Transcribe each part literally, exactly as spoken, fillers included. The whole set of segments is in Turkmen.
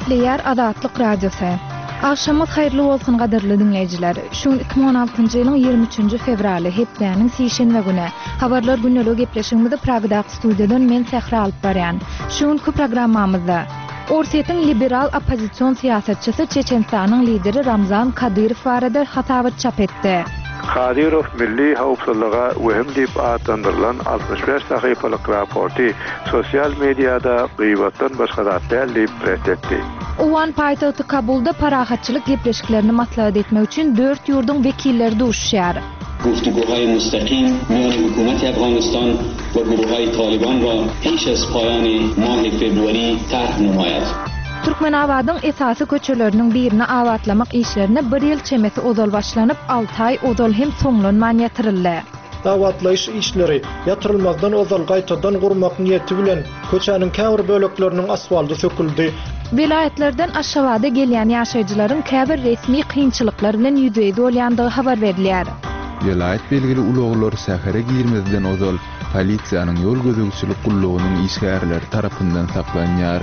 Gepleýär Azatlyk Radiosy. Agşamyňyz haýyrly bolsun gadyrly diňleýjiler. Şu gün iki müň on altynjy ýylyň ýigrimi üçünji fewraly, hepdäniň sişenbe güni. Habarlar gündeligi gepleşigimizi Pragadaky studiýadan men Sähra alyp barýan. Şu günki programmamyzda Orsýetiň liberal oppozision syýasatçysy Çeçenistanyň lideri Ramzan Kadyrow barada hasabat çap etdi. Kadyrow milli howpsuzlyga wehim diýip atlandyrylan altmyş bäş sahypalyk raporty sosial mediada gyýbatdan başga zat däl diýip ret etdi. Owgan paýtagty Kabulda parahatçylyk gepleşiklerini maslahat etmek üçin dört ýurduň wekilleri duşuşýar. Guftuguhaý mustaqim miýany hukumati Afganistan we guruhaý Taliban ra peş az paýany mahy februari tarh namaýad. Türkmenabadyň esasy köçeleriniň birini abatlamak işlerine bir ýyl çemesi ozal başlanyp, alty aý ozal hem soňlanman ýatyryldy. Abatlaýyş işleri ýatyrylmazdan ozal gaýtadan gurmak niýeti bilen köçäniň käbir bölekleriniň asfalty söküldi. Welaýatlardan Aşgabada gelýän ýaşaýjylaryň käbir resmi kynçylyklar bilen ýüzbe-ýüz bolýandygy habar berilýär. Welaýat belgili ulaglar şähere girmezden ozal polisiýanyň ýol gözegçilik gullugynyň işgärleri tarapyndan saklanýar.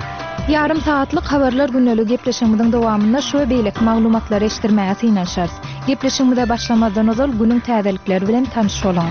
Ýarym sagatlyk habarlar gündeligi gepleşigimiziň dowamynda şu we beýleki maglumatlary eşitdirmäge synanyşarys. Gepleşigimize başlamazdan ozal günüň täzelikleri bilen tanyş boluň.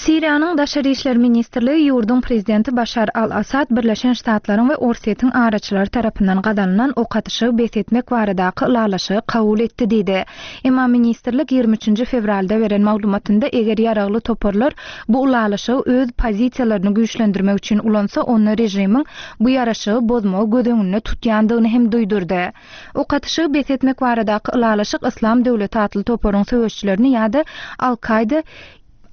Siriýanyň Daşary işler ministrligi ýurduň prezidenti Başar al-Assad Birleşen Ştatlaryň we Orsýetiň araçylary tarapyndan gazanylan ok atyşygy bes etmek baradaky ylalaşygy kabul etdi diýdi. Emma ministrlik ýigrimi üçünji fewralda beren maglumatynda eger ýaragly toparlar bu ylalaşygy öz pozisiýalaryny güýçlendirmek üçin ulansa, onda režimiň bu ýaraşygy bozmagy göz öňünde tutýandygyny hem duýdurdy. Ok atyşygy bes etmek baradaky ylalaşyk Yslam döwleti atly toparyň söweşçilerini ýa-da Al-Kaýda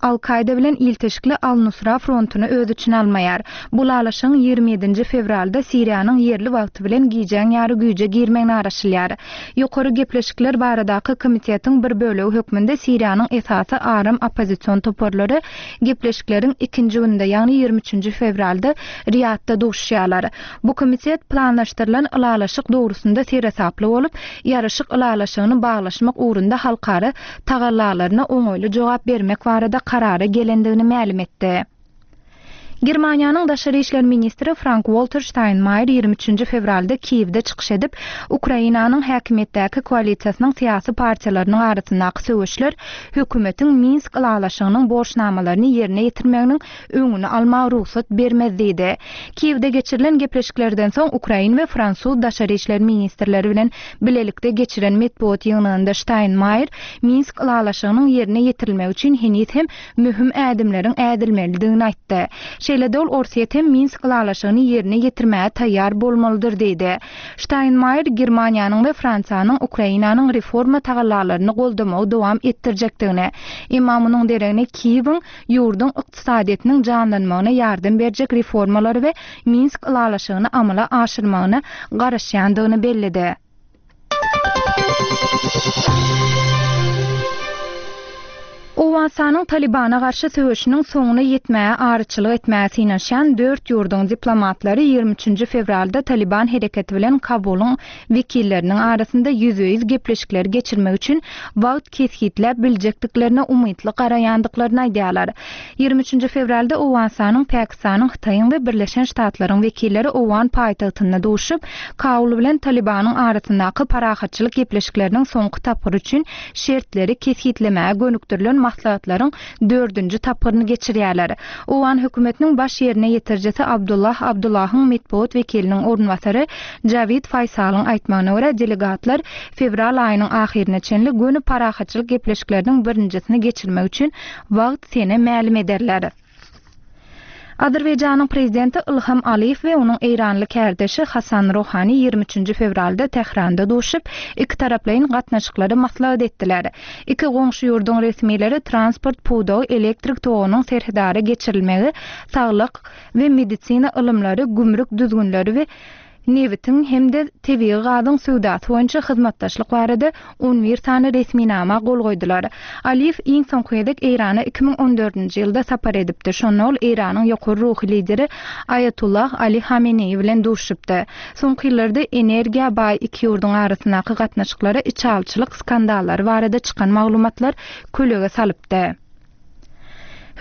Al-Kaýda bilen ilteşikli Al-Nusra frontuny öz içine almaýar. Bu ylalaşygyň ýigrimi ýedinji fewralda Siriýanyň ýerli wagty bilen gijäň ýary güýje girmegine garaşylýar. Ýokary gepleşikler baradaky komitetiň bir bölegi hökmünde Siriýanyň esasy aram oppozision toparlary gepleşikleriň ikinji gününde, ýagny ýigrimi üçünji fewralda Riýadda duşuşýarlar. Bu komitet planlaşdyrylan ylalaşyk dogrusynda seresaply bolup, ýaraşyk ylalaşygyny baglaşmak ugrunda halkara tagallalaryna oňaýly jogap bermek barada karara gelendigini mälim etdi. Germaniýanyň daşary işler ministri Frank-Walter Steinmeier ýigrimi üçünji fewralda Kiýewde çykyş edip, Ukrainanyň häkimiýetdäki koalisiýasynyň syýasy partiýalarynyň arasyndaky söweşler hökümetiň Minsk ylalaşygynyň borçnamalaryny ýerine ýetirmeginiň öňüni almaga rugsat bermez diýdi. Kiýewde geçirilen gepleşiklerden soň Ukrain we Fransuz daşary işler ministrleri bilen bilelikde geçiren metbugat ýygnagynda Steinmeier Minsk ylalaşygynyň ýerine ýetirilmegi üçin heniz hem möhüm ädimleriň ädilmelidigini aýtdy. Şeýle-de ol Orsýet hem Minsk ylalaşygyny ýerine ýetirmäge taýýar bolmalydyr diýdi. Steinmeier Germaniýanyň we Fransiýanyň Ukrainanyň reforma tagallalaryny goldamagy dowam etdirjekdigini, emma munuň deregine Kiýewiň ýurduň ykdysadyýetiniň janlanmagyna ýardam berjek reformalary we Minsk ylalaşygyny amala aşyrmagyna garaşýandygyny belledi. Owganystanyň Talibana garşy söweşiniň soňuna ýetmäge araçylyk etmäge synanyşýan dört ýurduň diplomatlary ýigrimi üçünji fewralda Taliban hereketi bilen Kabulyň wekilleriniň arasynda ýüzbe-ýüz gepleşikleri geçirmek üçin wagt kesgitläp biljekdiklerine umytly garaýandyklaryny aýdýarlar. Ýigrimi üçünji fewralda Owganystanyň, Pakistanyň, Hytaýyň we Birleşen Ştatlaryň wekilleri Owgan paýtagtynda duşup, Kabul bilen Talibanyň arasyndaky parahatçylyk gepleşikleriniň soňky tapgyry üçin şertleri kesgitlemäge gönükdirilen maslahatlaryň dördünji tapgyryny geçirýärler. Owgan hökümetiniň baş ýerine ýetirijisi Abdullah Abdullahyň metbugat wekiliniň orunbasary Jawid Faýsalyň aýtmagyna görä, delegatlar fewral aýynyň ahyryna çenli göni parahatçylyk gepleşikleriniň birinjisini geçirmek üçin wagt sene mälim ederler. Azerbaýjanyň prezidenti Ilham Aliýew we onuň eýranly kärdeşi Hasan Rohani ýigrimi üçünji fewralda Tähranda duşup, iki taraplaýyn gatnaşyklary maslahat etdiler. Iki goňşy ýurduň resmileri transport pudagy, elektrik togunyň serhedara geçirilmegi, saglyk we medisina ylymlary, gümrük düzgünleri we nebitiň hem-de tebigy gazyň söwdasy boýunça hyzmatdaşlyk barada on bir sany resminama gol goýdular. Aliýew iň soňky gezek Eýrana iki müň on dördünji ýylda sapar edipdi. Şonda ol Eýranyň ýokary ruhy lideri Aýatullah Ali Hameneýi bilen duşupdy. Soňky ýyllarda energiýa baý iki ýurduň arasyndaky gatnaşyklara içalçylyk skandallary barada çykan maglumatlar kölege salypdy.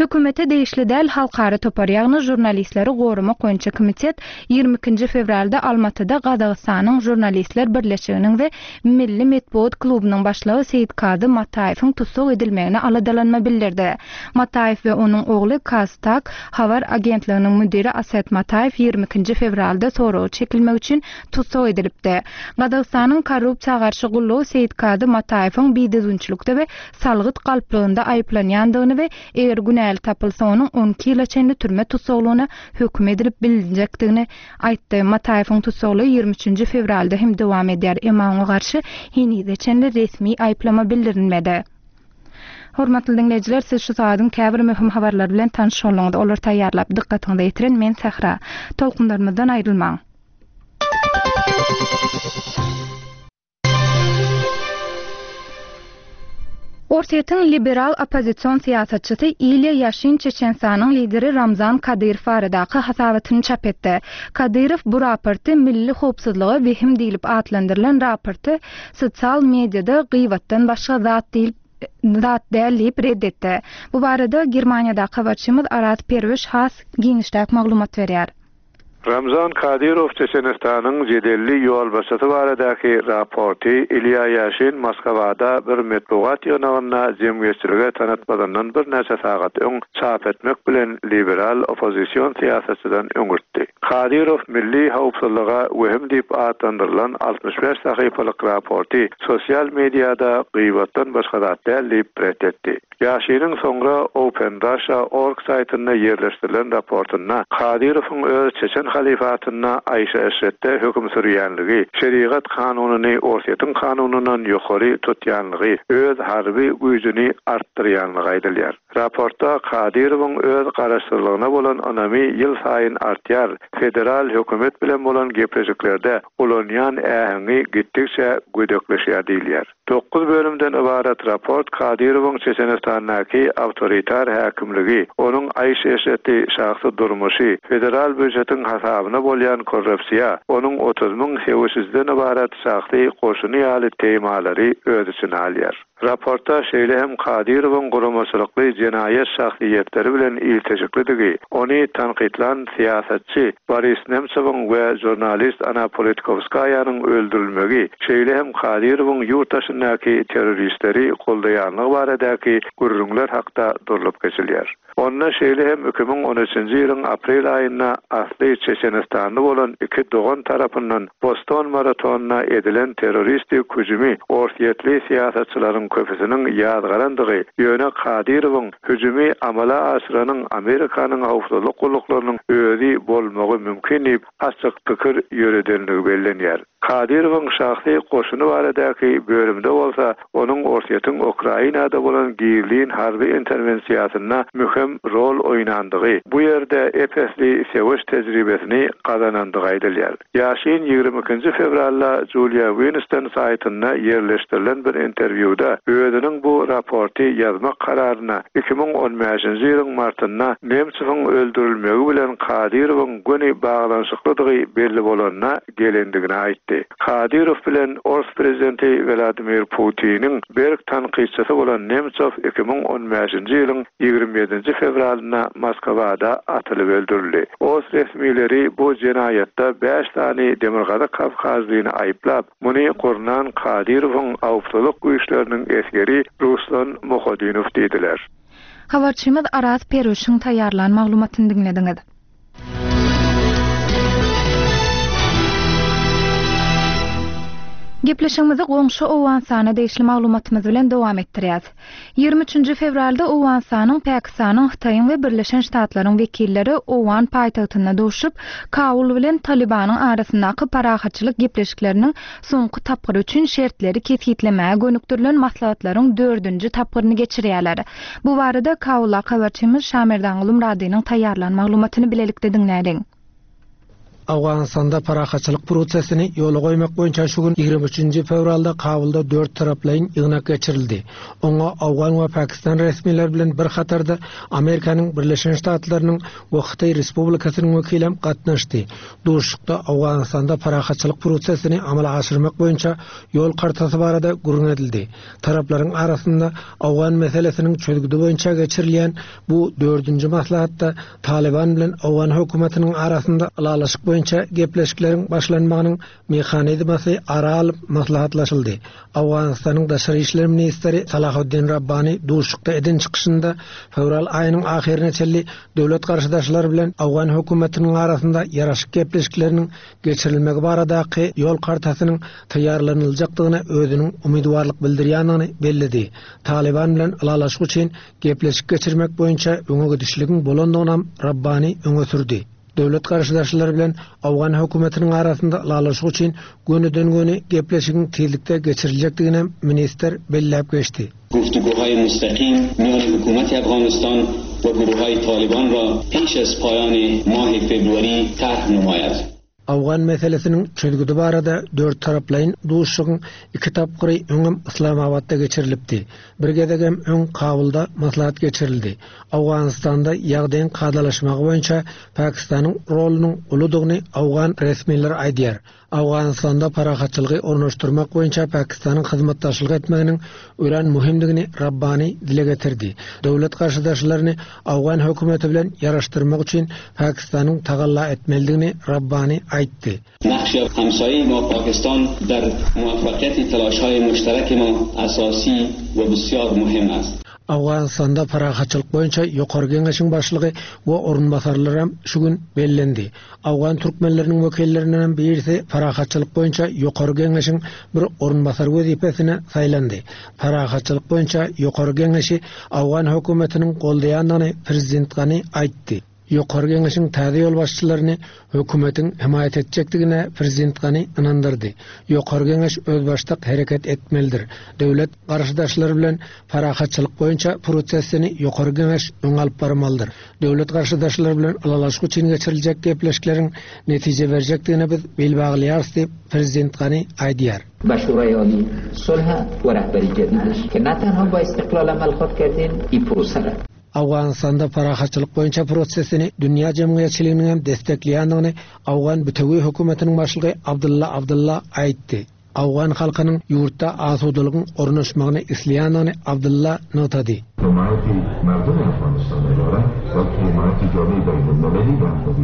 Hökümete degişli däl halkara topar, ýagny žurnalistleri goramak boýunça komitet ýigrimi ikinji fewralda Almatyda Gazagystanyň žurnalistler birleşiginiň we Milli metbugat klubunyň başlygy Seýitkazy Mataýewiň tussag edilmegine aladalanma bildirdi. Mataýew we onuň ogly KazTAG habar agentliginiň müdiri Aset Mataýew ýigrimi ikinji fewralda soraga çekilmek üçin tussag edilipdi. Gazagystanyň korrupsiýa garşy gullugy Seýitkazy Mataýewiň bidüzgünçilikde we salgyt galplygynda aýyplanýandygyny we eger günäli tapylsa onuň on iki ýyla çenli türme tussaglygyna höküm edilip bilinjekdigini aýtdy. Mataýewiň tussaglygy ýigrimi üçünji fewralda hem dowam edýär, emma oňa garşy henize çenli resmi aýyplama bildirilmedi. Hormatly diňleýjiler, siz şu sagadyň käbir möhüm habarlary bilen tanyş bolduňyz. Olary taýýarlap, dykgatyňyza ýetiren men Sähra. Tolkunlarymyzdan aýrylmaň. Orsýetiň liberal oppozision syýasatçysy Ilýa Ýaşin Çeçenistanyň lideri Ramzan Kadyrow baradaky hasabatyny çap etdi. Kadyrow bu raporty milli howpsuzlyga wehim diýlip atlandyrylan raporty sosial mediada gyýbatdan başga zat diýlip zat däl diýip red etdi. Bu barada Germaniýadaky habarçymyz Araz Perwiş has giňişräk maglumat berýär. Ramzan Kadyrow Çeçenistanyň jedelli ýolbaşçysy baradaky raporty Ilýa Ýaşin Moskwada bir metbugat ýygnagynda jemgyýetçilige tanatmazyndan birnäçe sagat öň çap etmek bilen liberal oppozision syýasatçydan öňürtdi. Kadyrow milli howpsuzlyga wehim diýip atlandyrylan altmyş bäş sahypalyk raporty sosial mediada gyýbatdan başga zat däl diýip ret etdi. Ýaşiniň soňra Open Russia org saýtynda ýerleşdirilen raportynda Kadyrowyň öz Çeçen halifatynda Aýşe Eşretde höküm sürýänligi, şerigat kanunyny Orsýetiň kanunyndan ýokary tutýanlygy, öz harby güýjüni artdyrýanlygy aýdylýar. Raportda Kadyrowyň öz garaşsyzlygyna bolan ynamy ýyl saýyn artýar, federal hökümet bilen bolan gepleşiklerde ulanýan äheňi gitdikçe gödekleşýär diýilýär. Dokuz bölümden ybarat raport Kadyrowyň Çeçenistandaky awtoritar häkimligi, onuň Aýşe Eşreti şahsy durmuşy, federal býujetiň hasabyna bolýan korrupsiýa, onuň otuz müň söweşijiden ybarat şahsy goşuny ýaly temalary öz içine alýar. Raportda şeýle hem Kadyrowyň guramaçylykly jenaýat şahsyýetleri bilen ilteşiklidigi, ony tankytlan syýasatçy Boris Nemtsowyň we žurnalist Anna Politkovskaýanyň öldürilmegi, şeýle hem Kadyrowyň ýurt daşyndaky terroristleri goldaýanlygy baradaky gürrüňler hakda durlup geçilýär. Onda şeýle hem iki müň on üçünji ýylyň aprel aýynda asly Çeçenistanly bolan iki dogan tarapyndan Boston maratonyna edilen terroristik hüjümi Orsýetli syýasatçylaryň köpüsiniň ýazgarandygy, ýöne Kadyrowyň hüjümi amala aşyranyň Amerikanyň howpsuzlyk gulluklarynyň özi bolmagy mümkin diýip açyk pikir ýöredenligi bellenýär. Kadyrowyň şahsy goşuny baradaky bölümde bolsa, onuň Orsýetiň Ukrainada bolan gizlin harby interwensiýasynda möhüm rol oýnandygy, bu ýerde epesli söweş tejribesini gazanandygy aýdylýar. Ýaşin ýigrimi ikinji fewralda Julia Winston saýtynda ýerleşdirilen bir interwýuda özüniň bu raporty ýazmak kararyna iki müň on bäşinji ýylyň martynda Nemtsowyň öldürilmegi bilen Kadyrowyň göni baglanyşyklydygy belli bolanyna gelendigini aýtdy. Kadyrow bilen Ors prezidenti Vladimir Putiniň berk tankytçysy bolan Nemtsow iki müň on bäşinji ýylyň ýigrimi ýedinji fewralynda Moskwada atylyp öldürildi. Ors resmileri bu jenaýatda bäş sany Demirgazyk Kawkazlyny aýyplap, muny gurnan Kadyrowyň howpsuzlyk güýçleriniň esgeri Ruslan Muhodinow diýdiler. Habarçymyz Araz Perwişiň taýýarlan maglumatyny diňlediňiz. Gepleşigimizi goňşy Owganystana degişli maglumatymyz bilen dowam etdirýäs. Ýigrimi üçünji fewralda Owganystanyň, Pakistanyň, Hytaýyň we Birleşen Ştatlaryň wekilleri Owgan paýtagtynda duşup, Kabul bilen Talibanyň arasyndaky parahatçylyk gepleşikleriniň soňky tapgyry üçin şertleri kesgitlemäge gönükdirilen maslahatlaryň dördünji tapgyryny geçirýärler. Bu barada Kabulda habarçymyz Şamerdan Gulumradynyň taýýarlan maglumatyny bilelikde diňläliň. Awganystanda parahatçylyk prosesini ýola goýmak boýunça şu gün ýigrimi üçünji fewralda Kabulda dört taraplaýyn ýygnak geçirildi. Oňa Awgan we Pakistan resmileri bilen bir hatarda Amerikanyň Birleşen Ştatlarynyň we Hytaý Respublikasynyň wekili hem gatnaşdy. Duşuşykda Awganystanda parahatçylyk prosesini amala aşyrmak boýunça ýol kartasy barada gürrüň edildi. Taraplaryň arasynda Awgan meselesiniň çözgüdi boýunça geçirilýän bu dördünji maslahatda Taliban bilen Awgan hökümetiniň arasynda ylalaşyk boýunça gepleşikleriň başlanmagynyň mehanizmasy ara alyp maslahatlaşyldy. Awganystanyň daşary işler ministri Salahuddin Rabbani duşuşykda eden çykyşynda fewral aýynyň ahyryna çenli döwlet garşydaşlary bilen Awgan hökümetiniň arasynda ýaraşyk gepleşikleriniň geçirilmegi baradaky ýol kartasynyň taýýarlanyljakdygyna özüniň umytwarlyk bildirýändigini belledi. Taliban bilen ylalaşyk üçin gepleşik geçirmek boýunça öňe gidişligiň bolandygyny Rabbani öňe sürdi. Döwlet garşydaşlary bilen Awgan hökümetiniň arasynda ylalaşyk üçin gönüden-göni gepleşigiň tizlikde geçiriljekdigini ministr belläp geçdi. گفتگوهای مستقیم میان حکومت افغانستان و گروه‌های طالبان را پیش از پایان ماه فوریه طرح نماید. Awgan meselesiniň çözgüdi barada dört taraplaýyn duşuşygyň iki tapgyry öňem Islamabadda geçirilipdi. Bir gezegem öň Kabulda maslahat geçirildi. Awganystanda ýagdaýyň kadalaşmagy boýunça Pakistanyň rolunyň uludygyny Awgan resmileri aýdýar. Awganystanda parahatçylygy ornaşdyrmak boýunça Pakistanyň hyzmatdaşlyk etmeginiň örän möhümdigini Rabbani dile getirdi. Döwlet garşydaşlaryny Awgan hökümeti bilen ýaraşdyrmak üçin Pakistanyň tagalla etmelidigini Rabbani aýtdy. نقش همسایه ما پاکستان در موفقیت تلاش‌های مشترک ما اساسی و بسیار مهم است. Awganystanda parahatçylyk boýunça ýokary geňeşiň başlygy we orunbasarlary hem şu gün bellendi. Awgan türkmenleriniň wekillerinden birisi parahatçylyk boýunça ýokary geňeşiň bir orunbasar wezipesine saýlandy. Parahatçylyk boýunça ýokary geňeşi Awgan hökümetiniň goldaýandygyny prezident Gani aýtdy. Ýokary geňeşiň täze ýolbaşçylaryny hökümetiň himaýat etjekdigine prezident Gani ynandyrdy. Ýokary geňeş özbaşdak hereket etmelidir. Döwlet garşydaşlary bilen parahatçylyk boýunça prosesini ýokary geňeş öňe alyp barmalydyr. Döwlet garşydaşlary bilen ylalaşyk üçin geçiriljek gepleşikleriň netije berjekdigine biz bil baglaýarys diýip prezident Gani aýdýar. به شورای عالی صلح و رهبری جدیدش که نه تنها با استقلال عمل خواد کردین این پروسه را. Awganystanda parahatçylyk boýunça prosesini dünýä jemgyýetçiliginiň hem destekleýändigini Awgan bütewi hökümetiniň başlygy Abdulla Abdulla aýtdy. Awgan halkynyň ýurtda asudalygyň ornaşmagyny isleýändigini Abdulla nygtady. حمایت مردم افغانستان دارد و حمایت جامعه بین‌المللی در خود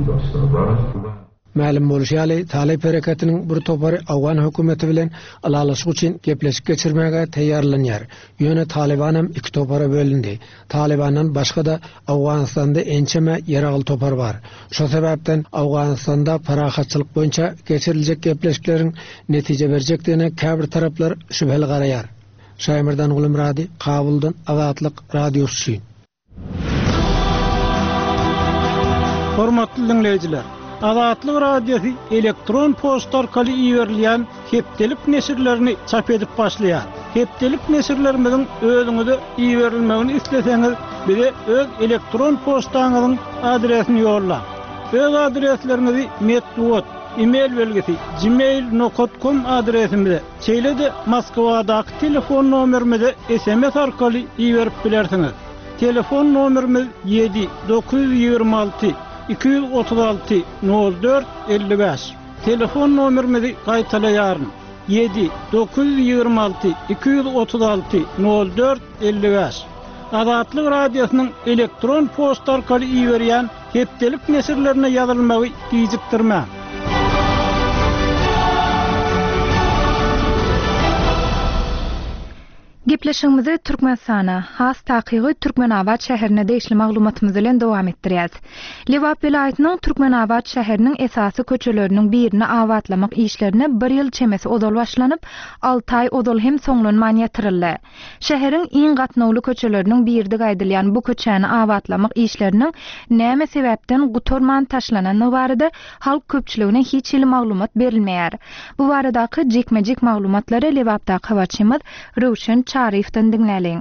دارد. Mälim bolşy ýaly, Talip hereketiniň bir topary Awgan hökümeti bilen ylalaşyk üçin gepleşik geçirmäge taýýarlanýar. Ýöne Taliban hem iki topara bölündi. Talibandan başga da Awganystanda ençeme ýaragly topar bar. Şo sebäpden Awganystanda parahatçylyk boýunça geçiriljek gepleşikleriň netije berjekdigine käbir taraplar şübheli garaýar. Şaýmyrdan Gulumrady, Kabuldan Azatlyk Radiosy. Hormatly dinleýjiler, Azatlyk Radiosy elektron poçta arkaly iberilýän hepdelik neşirlerini çap edip başlaýar. Hepdelik neşirlerimiziň özüňize iberilmegini isleseňiz, bize öz elektron poçtaňyzyň adresini ýollaň. Öz adresleriňizi metbugat, e-mail belgisi gmail nokta com adresimize, şeýle-de Moskwadaky telefon nomerimize S M S arkaly iberip bilersiňiz. Telefon nomerimiz ýedi dokuz ýüz ýigrimi alty iki ýüz otuz alty nol dört elli bäş. Telefon nomerimizi gaýtalaýaryn. Ýedi dokuz ýüz ýigrimi alty iki ýüz otuz alty nol dört elli bäş. Azatlyk Radiosynyň elektron poçta arkaly iberýän hepdelik neşirlerine ýazylmagy gijikdirmäň. Gepleşigimizi Türkmenistana, has takygy Türkmenabat şäherine degişli maglumatymyz bilen dowam etdirýäris. Lebap welaýatynyň Türkmenabat şäheriniň esasy köçeleriniň birini abatlamak işlerine bir ýyl çemesi ozal başlanyp, alty aý ozal hem soňlanman ýatyryldy. Şäheriň iň gatnawly köçeleriniň biridi gaýdylýan bu köçäni abatlamak işleriniň näme sebäpden gutarman taşlanany barada halk köpçüligine hiç hili maglumat berilmeýär. Bu baradaky jikme-jik maglumatlary Lebapdaky habarçymyz Röwşen Çaryýewden diňläliň.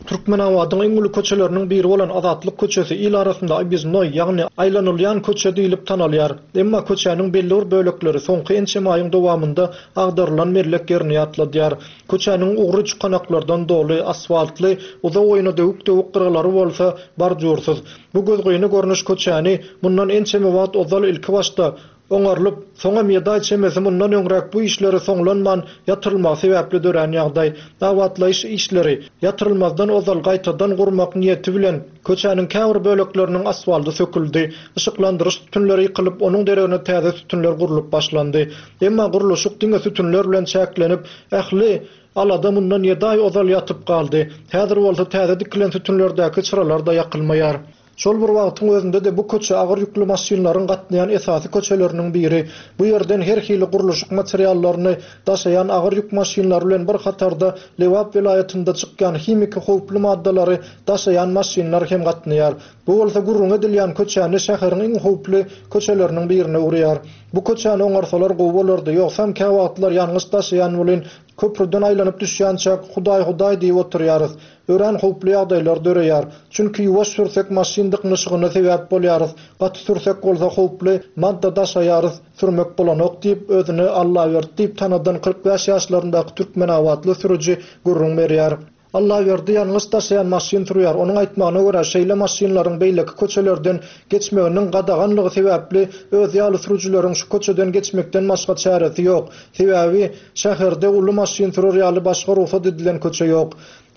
Türkmenabadyň iň uly köçeleriniň biri bolan Azatlyk köçesi il arasynda Obýezdnoý, ýagny aýlanylýan köçe diýlip tanalýar. Emma köçäniň belli bir bölekleri soňky ençeme aýyň dowamynda agdarylan mellek ýerini ýatladýar. Köçäniň ugry çukanaklardan doly, asfaltly, uzaboýuna döwük-döwük gyralary bolsa bordýursyz. Bu gözgyny görnüş köçäni mundan ençeme wagt ozal ilkibaşda oňarylyp, soňam ýedi aý çemesi mundan öňräk bu işleri soňlanman ýatyrylmagy sebäpli dörän ýagdaý. Abatlaýyş işleri ýatyrylmazdan ozal gaýtadan gurmak niýeti bilen köçäniň käbir bölekleriniň asfalty söküldi. Yşyklandyryş sütünleri ýykylyp, onuň deregine täze sütünler gurlup başlandy. Emma gurluşyk diňe sütünler bilen çäklenip, ähli alada mundan ýedi aý ozal ýatyp galdy. Häzir bolsa täze dikilen sütünlerdäki çyralar-da ýakylmaýar. Şol bir wagtyň özünde-de bu köçe agyr ýükli maşynlaryň gatnaýan esasy köçeleriniň biri. Bu ýerden her hili gurluşyk materiallaryny daşaýan agyr ýük maşynlary bilen bir hatarda Lebap welaýatynda çykýan himiki howply maddalary daşaýan maşynlar hem gatnaýar. Bu bolsa gürrüň edilýän köçäni şäheriň iň howply köçeleriniň birine öwürýär. Bu köçäni oňarsalar gowy bolardy, ýogsam käwagtlar ýangyç daşaýan welin köprüden aýlanyp düşýänçäk Hudaý-Hudaý diýip oturýarys. Örän howply ýagdaýlar döreýär. Çünki ýuwaş sürsek maşyn dyknyşygyna sebäp bolýarys. Gaty sürsek bolsa howply madda daşaýarys, sürmek bolanok diýip özüni Allaberdi diýip tanadan kyrk bäş ýaşlaryndaky türkmenabatly sürüji gürrüň berýär. Allaberdi ýangyç daşaýan maşyn sürýär. Onuň aýtmagyna görä, şeýle maşynlaryň beýleki köçelerden geçmeginiň gadaganlygy sebäpli öz ýaly sürüjileriň şu köçeden geçmekden başga çäresi ýok. Sebäbi şäherde uly maşyn sürer ýaly başga rugsat edilen köçe ýok.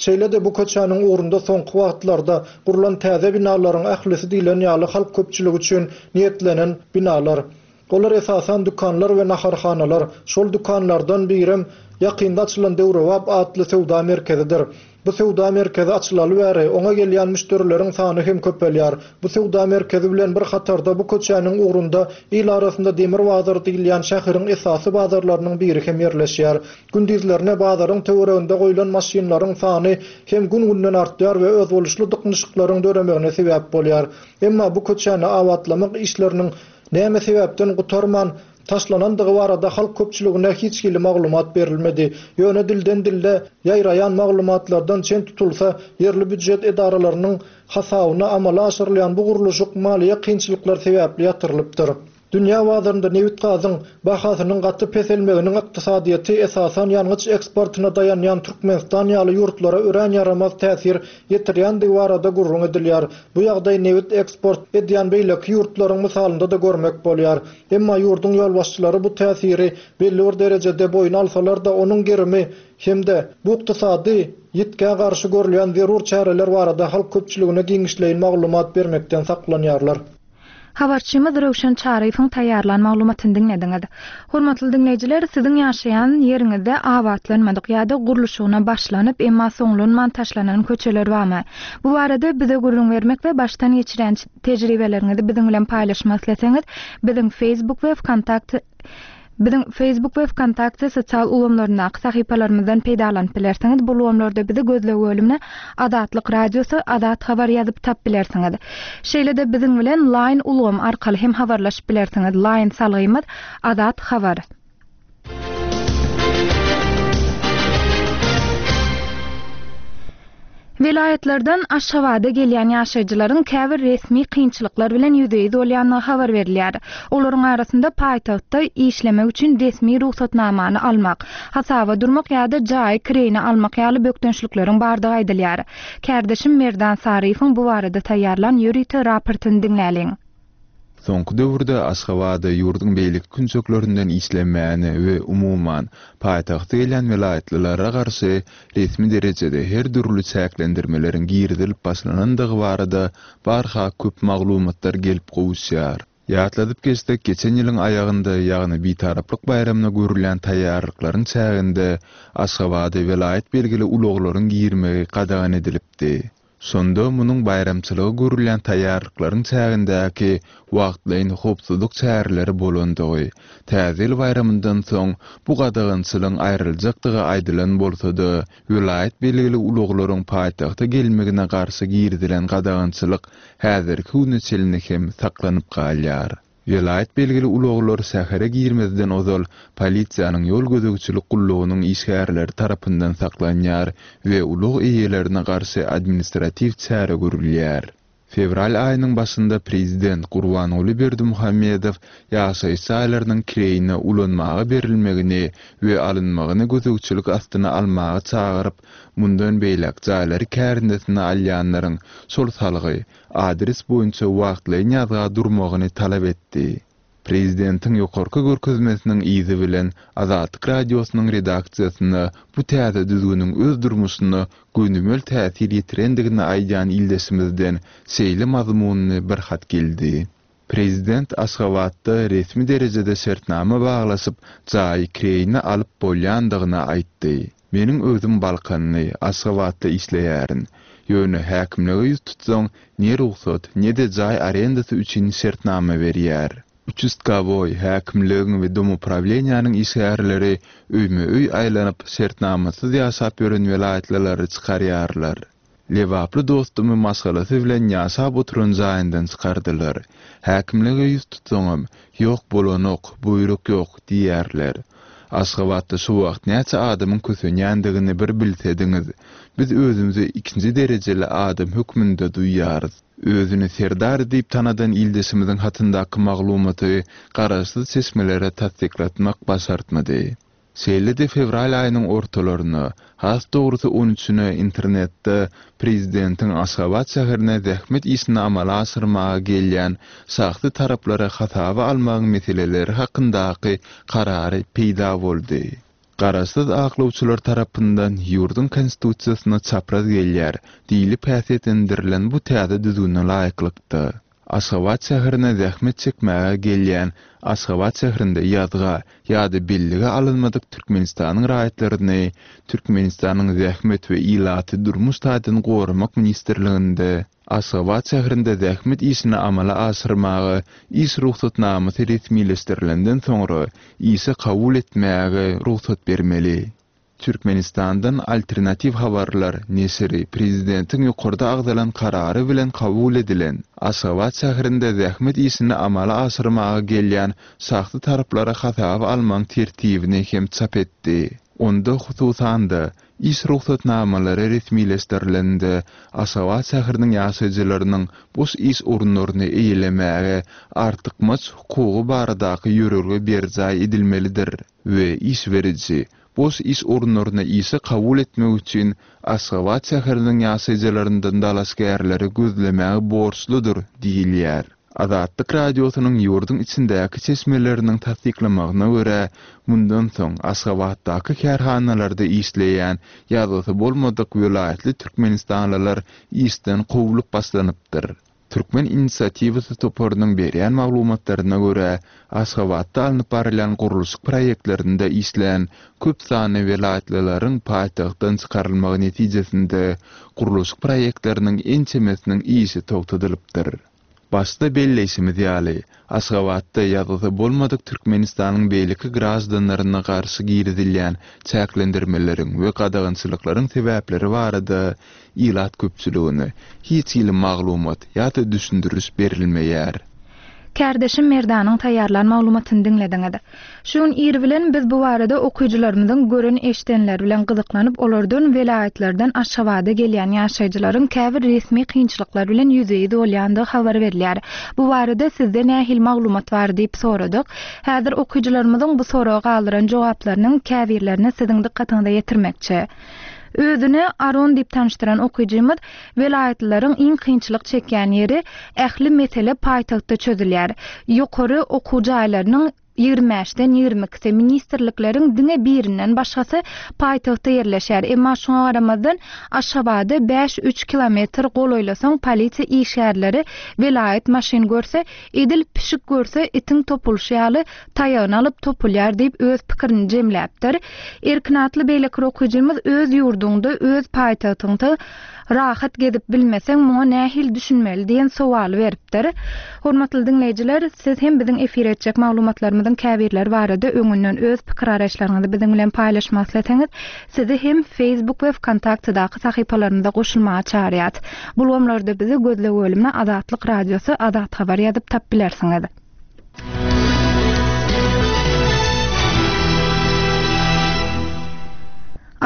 Şeýle-de bu köçäniň ugrunda soňky wagtlarda gurlan täze binalaryň ählisi diýlen ýaly halk köpçüligi üçin niýetlenen binalar. Olar esasan dükanlar we naharhanalar. Şol dükanlardan birem ýakynda açylan Döwrebap atly söwda merkezidir. Bu söwda merkezi açylaly bäri oňa gelýän müşderileriň sany hem köpelýär. Bu söwda merkezi bilen bir hatarda bu köçäniň ugrunda il arasynda Demir bazar diýilýän şäheriň esasy bazarlarynyň biri hem ýerleşýär. Gündizlerine bazaryň töwereginde goýlan maşynlaryň sany hem gün-günden artýar we özboluşly dyknyşyklaryň döremegine sebäp bolýar. Emma bu köçäni abatlamak işleriniň näme sebäpden gutarman taşlanandygy barada halk köpçüligine hiç hili maglumat berilmedi. Ýöne dilden dille ýaýraýan maglumatlardan çen tutulsa, ýerli býujet edaralarynyň hasabyna amala aşyrylýan bu gurluşyk maliýe kynçylyklar sebäpli ýatyrylypdyr. Dünýä bazarynda nebit gazyň bahasynyň gaty peselmeginiň ykdysadyýeti esasan ýangyç eksportyna daýanýan Türkmenistan ýaly ýurtlara örän ýaramaz täsir ýetirýändigi barada gürrüň edilýär. Bu ýagdaý nebit eksport edýän beýleki ýurtlaryň mysalynda-da görmek bolýar. Emma ýurduň ýolbaşçylary bu täsiri belli bir derejede boýun alsalar-da, onuň gerimi hem-de bu ykdysady ýitgä garşy görülýän zerur çäreler barada halk köpçüligine giňişleýin maglumat bermekden saklanýarlar. Habarçymyz Röwşen Çaryýewiň taýýarlan maglumatyny diňlediňiz. Hormatly diňleýjiler, siziň ýaşaýan ýeriňizde abatlanmadyk ýa-da gurluşygyna başlanyp, emma soňlanman taşlanan köçeler barmy? Bu barada bize gürrüň bermek we başdan geçiren tejribeleriňizi biziň bilen paýlaşmak isleseňiz, biziň Facebook we Vkontakte Biziň Facebook we Vkontakte sosial ulgamlaryndaky sahypalarymyzdan peýdalanyp bilersiňiz. Bu ulgamlarda bizi gözleg bölümine Azatlyk Radiosy, Azat Habar ýazyp tap bilersiňiz. Şeýle-de biziň bilen Line ulgamy arkaly hem habarlaşyp bilersiňiz. Line salgymyz Azat Habar. Welaýatlardan Aşgabada gelýän ýaşaýjylaryň käbir resmi kynçylyklar bilen ýüzbe-ýüz bolýandygy habar berilýär. Olaryň arasynda paýtagtda işlemek üçin resmi rugsatnamany almak, hasaba durmak ýa-da jaýy kireýine almak ýaly bökdençlikleriň bardygy aýdylýar. Kärdeşim Merdan Saryýewiň bu barada taýýarlan ýörite raportyny diňläliň. Soňky döwürde Aşgabada ýurduň beýleki künjeklerinden işlemäni we umuman paýtagta gelýän welaýatlylara garşy resmi derejede her dürli çäklendirmeleriň girizilip başlanandygy barada barha köp maglumatlar gelip gowuşýar. Ýatladyp geçsek, geçen ýylyň aýagynda, ýagny Bitaraplyk baýramyna görülýän taýýarlyklaryň çäginde Aşgabada welaýat belgili ulaglaryň girmegi gadagan edilipdi. Şonda munuň baýramçylygy görülýän taýýarlyklaryň çägindäki wagtlaýyn howpsuzlyk çäreleri bolandygy, Täze ýyl baýramyndan soň bu gadagançylygyň aýryljakdygy aýdylan bolsa-da, welaýat belgili ulaglaryň paýtagta gelmegine garşy girizilen gadagançylyk häzirki güne çenli hem saklanyp galýar. Welaýat belgili ulaglar şähere girmezden ozal polisiýanyň ýol gözegçilik gullugynyň işgärleri tarapyndan saklanýar we ulag eýelerine garşy administratiw çäre görülýär. Fewral aýynyň başynda prezident Gurbanguly Berdimuhamedow ýaşaýyş jaýlarynyň kireýine ulanmaga berilmegini we alynmagyny gözegçilik astyna almaga çagyryp, mundan beýläk jaýlary kärendesine alýanlaryň şol salgy, adres boýunça wagtlaýyn ýazga durmagyny talap etdi. Prezidentiň ýokarky görkezmesiniň yzy bilen Azatlyk Radiosynyň redaksiýasyna bu täze düzgüniň öz durmuşyna gönümel täsir ýetirendigini aýdýan ildeşimizden şeýle mazmunly bir hat geldi. Prezident Aşgabatda resmi derejede şertnama baglaşyp, jaýy kireýine alyp bolýandygyny aýtdy. Meniň özüm Balkanly, Aşgabatda işleýärin. Ýöne häkimlige ýüz tutsaň, ne rugsat, ne-de jaý arendasy üçin şertnama berýär. Uçastkowoý, häkimligiň we domuprawleniýanyň işgärleri öýme-öý aýlanyp, şertnamasyz ýaşap ýören welaýatlylary çykarýarlar. Lebaply dostumy maşgalasy bilen ýaşap oturan jaýyndan çykardylar. Häkimlige ýüz tutsaňam, ýok bolanok, buýruk ýok diýýärler. Aşgabatda şu wagt näçe adamyň kösenýändigini bir bilsediňiz. Biz özümizi ikinji derejeli adam hökmünde duýýarys. Özüni Serdar diýip tanadan ildeşimiziň hatyndaky maglumaty garaşsyz çeşmelere tassyklatmak başartmady. Şeýle-de fewral aýynyň ortalaryna, has dogrusy on üçüne internetde prezidentiň Aşgabat şäherine zähmet işini amala aşyrmaga gelýän şahsy taraplary hasaba almagyň meseleleri hakyndaky karary peýda boldy. Garaşsyz aklawçylar tarapyndan ýurduň konstitusiýasyna çapraz gelýär diýlip häsiýetlendirilen bu täze düzgüne laýyklykda Aşgabat şäherine zähmet çekmäge gelýän Aşgabat şäherinde ýazga ýa-da bellige alynmadyk Türkmenistanyň raýatlaryny Türkmenistanyň Zähmet we ilaty durmuş taýdan goramak ministrliginde Aşgabat şäherinde zähmet işini amala aşyrmaga iş rugsatnamasy resmileşdirilenden soňra işe kabul etmäge rugsat bermeli. Türkmenistandan alternatiw habarlar neşiri prezidentiň ýokarda agzalan karary bilen kabul edilen Aşgabat şäherinde zähmet işini amala aşyrmaga gelýän şahsy taraplara hasaba almagyň tertibini hem çap etdi. Onda hususan-da iş rugsatnamalary resmileşdirilende Aşgabat şäheriniň ýaşaýjylarynyň boş iş orunlaryny eýelemäge artykmaç hukugy baradaky ýörelge berjaý edilmelidir we iş beriji boş iş orunlaryny işe kabul etmek üçin Aşgabat şäheriniň ýaşaýjylaryndan dalaşgärleri gözlemäge borçludyr diýilýär. Azatlyk Radiosynyň ýurduň içindäki çeşmeleriniň tassyklamagyna görä, mundan soň Aşgabatdaky kärhanalarda işleýän ýazgysy bolmadyk welaýatly türkmenistanlylar işden kowlup başlanypdyr. Türkmen inisiatiwasy toparynyň berýän maglumatlaryna görä, Aşgabatda alnyp barylýan gurluşyk proýektlerinde işleýän köp sanly welaýatlylaryň paýtagtdan çykarylmagy netijesinde gurluşyk proýektleriniň ençemesiniň işi togtadylypdyr. Başda belleýşimiz ýaly, Aşgabatda ýazgysy bolmadyk Türkmenistanyň beýleki graždanlaryna garşy girizilýän çäklendirmeleriň we gadagançylyklaryň sebäpleri barada ilat köpçüligine hiç hili maglumat ýa-da düşündiriş berilmeýär. Kärdeşim Merdanyň taýýarlan maglumatyny diňlediňiz. Şu gün ir bilen biz bu barada okyjylarymyzyň gören eşdenleri bilen gyzyklanyp, olardan welaýatlardan Aşgabada gelýän ýaşaýjylaryň käbir resmi kynçylyklar bilen ýüzbe-ýüz bolýandygy habar berilýär. Bu barada sizde nähili maglumat bar diýip soradyk. Häzir okyjylarymyzyň bu soraga galdyran jogaplarynyň käbirlerini siziň dykgatyňyza ýetirmekçi. Özüne Aron diýip tanyşdyran okyjymyz welaýatlaryň iň kynçylyk çekýän ýeri ähli mesele paýtagtda çözülýär. Ýokary okuw jaýlarynyň ýigrimi bäşden ýigrimi ikisi ministrlikleriň diňe birinden başgasy paýtagtda ýerleşýär. Emma şoňa garamazdan Aşgabada bäş üç kilometr golaýlasaň polisiýa işgärleri welaýat maşyn görse, edil pişik görse itiň topulşy ýaly taýagyny alyp topulýar diýip öz pikirini jemläpdir. Erkin atly beýleki okyjymyz öz ýurduňda, öz paýtagtyňda rahat gezip bilmeseň muňa nähili düşünmeli diýen sowaly beripdir. Hormatly diňleýjiler, siz hem biziň efir etjek maglumatlarymyzyň käbirleri barada öňünden öz pikir araçlaryňyzy biziň bilen paýlaşmak isleseňiz, sizi hem Facebook we VKontaktedaky sahypalarymyza goşulmaga çagyrýarys. Bu ulgamlarda bizi gözleg bölümine Azatlyk Radiosy, Azat Habar ýazyp tap bilersiňiz.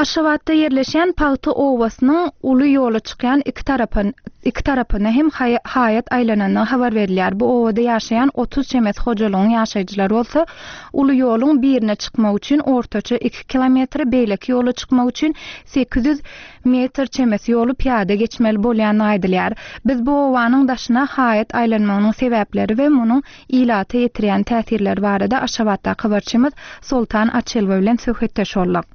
Aşgabatda ýerleşýän Pagta obasynyň uly ýola çykýan iki tarapyn iki tarapyna hem haýat aýlanandygy habar berilýär. Bu obada ýaşaýan otuz çemesi hojalygyň ýaşaýjylary bolsa uly ýoluň birine çykmak üçin ortaça iki kilometre, beýleki ýola çykmak üçin sekiz ýüz metr çemesi ýoly pyýada geçmeli bolýandygy aýdylýar. Biz bu obanyň daşyna haýat aýlanmagynyň sebäpleri we munuň ilata ýetirýän täsirleri barada Aşgabatdaky habarçymyz Soltan Açelwa bilen söhbetdeş bolduk.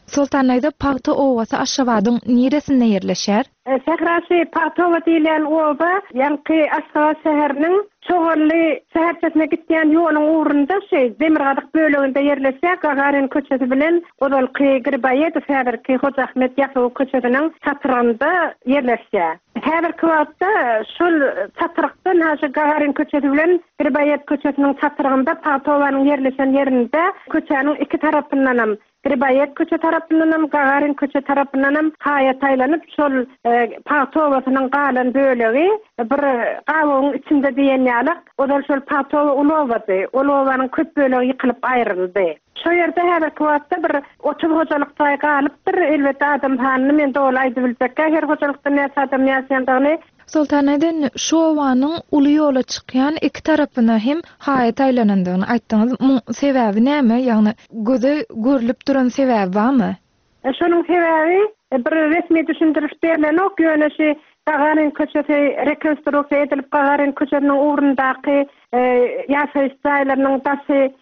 Soltan Naýda, Pagta obasy Aşgabadyň niresinde ýerleşýär? Sährasy Pagta oba diýilýän oba, ýaňky Aşgabat şäheriniň Çoganly şäherçesine gitýän ýoluň ugrunda şeý Demirgazyk böleginde ýerleşýär. Gagarin köçesi bilen ozalky Griboýedow häzirki Hoja Ahmet Ýasawy köçesiniň çatrygynda ýerleşýär. Häzirki wagtda şol çatrykdan ha şu Gagarin köçesi bilen Griboýed köçesiniň çatrygynda Pagta obanyň ýerleşen ýerinde köçäniň iki tarapyndanam Griboýed köçe tarapyndanam Gagarin köçe tarapyndanam haýat aýlanyp şol, e, Pagta obasynyň galan bölegi bir gawagyň içinde diýen ýaly, ozal şol Pagta oba uly obady. Ol obanyň köp bölegi ýykylyp aýryldy. Şo ýerde häzirki wagtda bir otuz hojalyk jaý galypdyr. Elbetde adam sanyny men doly aýdyp biljekkä, her hojalykda näçe adam ýaşaýandygyny. Soltan Aýdan, şu obanyň uly ýola çykýan iki tarapyna hem haýat aýlanandygyny aýtdyňyz. Muň sebäbi näme? Ýagny göze görülip duran sebäbi barmy? E, şonuň sebäbi, e, bir resmi düşündiriş berlenok, ýöne şu Gagarin köçesi rekonstruksiýa edilip Gagarin köçesiniň ugrundaky, e, ýaşaýyş jaýlarynyň daşy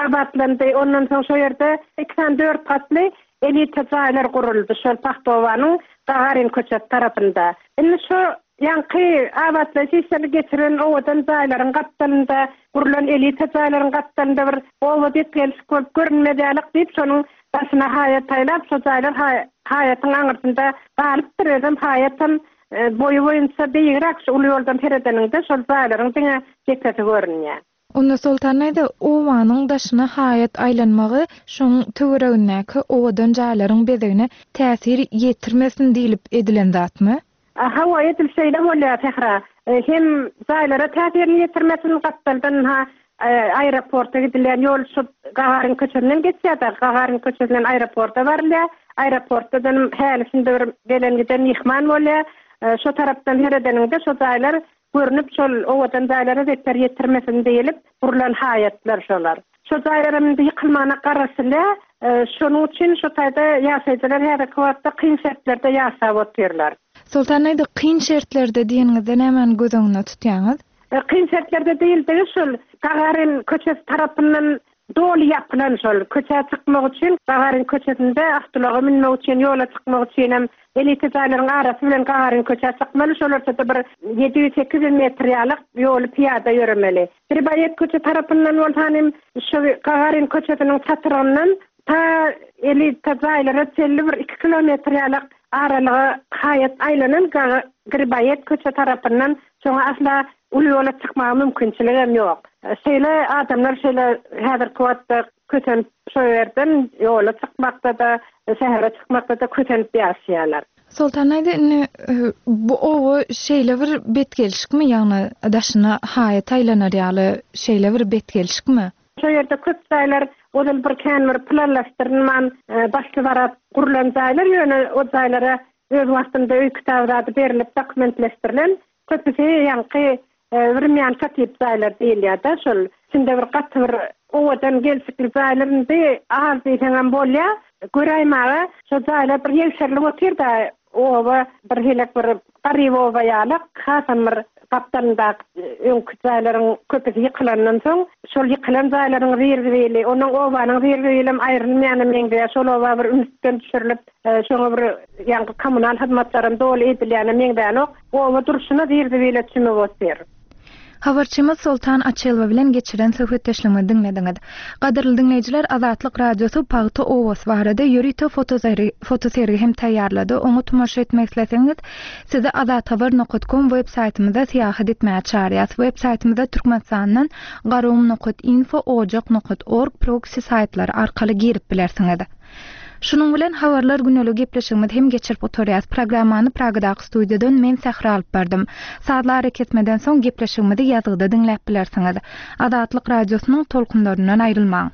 abatlandy. Ondan soň şo ýerde iki sany dört gatly elita jaýlar guruldy şol Pagta obanyň Gagarin köçesi tarapynda. Indi şu ýaňky abatlaýyş işlerini geçiren owadan jaýlaryň gapdalynda gurulan elita jaýlaryň gapdalynda bir oba diýip gelşik bolup görünmez ýalyk diýip şonuň daşyna haýat aýlap şo jaýlar haý-, haýatyň aňyrsynda galypdyr. Özem haýatam, e, boýy boýunça beýigräk şu uly ýoldan seredeniňde şol jaýlaryň diňe depesi görünýär. Onda Soltan Aýda, obanyň daşyna haýat aýlanmagy şoň töweregindäki owadan jaýlaryň bezegine täsir ýetirmesin diýlip edilen zatmy? Hawa, edil şeýle bolýar Sähra. E, hem jaýlara täsirini ýetirmesin, gapdaldan ha, e, aeroporta gidilýän ýol şu Gagarin köçesinden geçýär-de, Gagarin köçesinden aeroporta barylýar. Aeroportdan häli şindi bir gelen giden myhman bolýar. E, şo tarapdan seredeniňde şo jaýlar görünip şol owadan jaýlara zeper ýetirmesin diýilip gurulan haýatlar şolar. Şo jaýlar indi ýykylmagyna garaşylýar. E, şonuň üçin şo taýda ýaşaýjylar häzirki wagtda kyn şertlerde ýaşap otyrlar. Soltan Aýda, kyn şertlerde diýeniňizde nämäni göz öňünde tutýaňyz? E, kyn şertlerde diýildigi şol Gagarin köçesi tarapyndan doly ýapylan şol köçä çykmak üçin Gagarin köçesinde awtoulaga münmek üçin ýola çykmak üçin hem elita jaýlaryň arasy bilen Gagarin köçä çykmaly. Şol ortada bir ýedi ýüz sekiz ýüz metr ýalyk ýoly pyýada ýöremeli. Griboýed köçe tarapyndan bolsa hem şu Gagarin köçesiniň çatrygyndan ta elita jaýlara çenli bir iki kilometr ýalyk aralyga haýat aýlanan Gaga-, Griboýed köçe tarapyndan şoňa asla uly ýola çykmaga mümkinçilik hem ýok. Şeýle adamlar şeýle häzirki wagtda kösenip şo ýerden ýola çykmakda-da, şähere çykmakda-da kösenip ýaşaýarlar. Soltan Aýda, indi, e, bu oba şeýle bir betgelşikmi, ýagny daşyna haýat aýlanar ýaly şeýle bir betgelşikmi? Şo ýerde köp jaýlar ozal bir kän bir planlaşdyrylman, e, başly barat gurulan jaýlar, ýöne o jaýlara öz wagtynda öý kitaby zady berilip dokumentleşdirilen köpüsi ýaňky, e, Wremýanka tip jaýlar diýilýär-de, şol içinde bir gaty bir owadan gelşikli jaýlar indi az diýseňem bolýar. Göräýmäge şo jaýlar bir ýegşerilip otyr-da, oba bir helek bir garyp oba ýaly, hasam bir gapdalyndaky öňki jaýlaryň köpüsi ýykylandan soň, şol ýykylan jaýlaryň zirwili, onuň obanyň zirwilem aýrylmaýana meňzeýär. Şol oba bir ünsden düşürilip, e, şoňa bir ýaňky kommunal hyzmatlaryň doly edilýäne meňzänok. Oba durşuna zirwile çümüp otyr. Habarçymyz Soltan Açelwa bilen geçiren söhbetdeşligini diňlediňiz. Gadyrly diňleýjiler, Azatlyk Radiosy Pagta obasy barada ýörite fotosergi, fotosergi hem taýýarlady. Oňa tomaşa etmek isleseňiz, sizi azathabar nokta com web saýtymyzda syýahat etmäge çağırýarys. Web saýtymyzda Türkmenistandan garum nokta info, ojak nokta org proxy saýtlary arkaly girip bilersiňiz. Şunuň bilen Habarlar güneli gepleşigimizi hem geçirip oturýas. Programmany Pragadaky studiýadan men Sähra alyp bardym. Sazly arakesmeden soň gepleşigimizi ýazgyda diňläp bilersiňiz. Azatlyk Radiosynyň tolkunlaryndan aýrylmaň.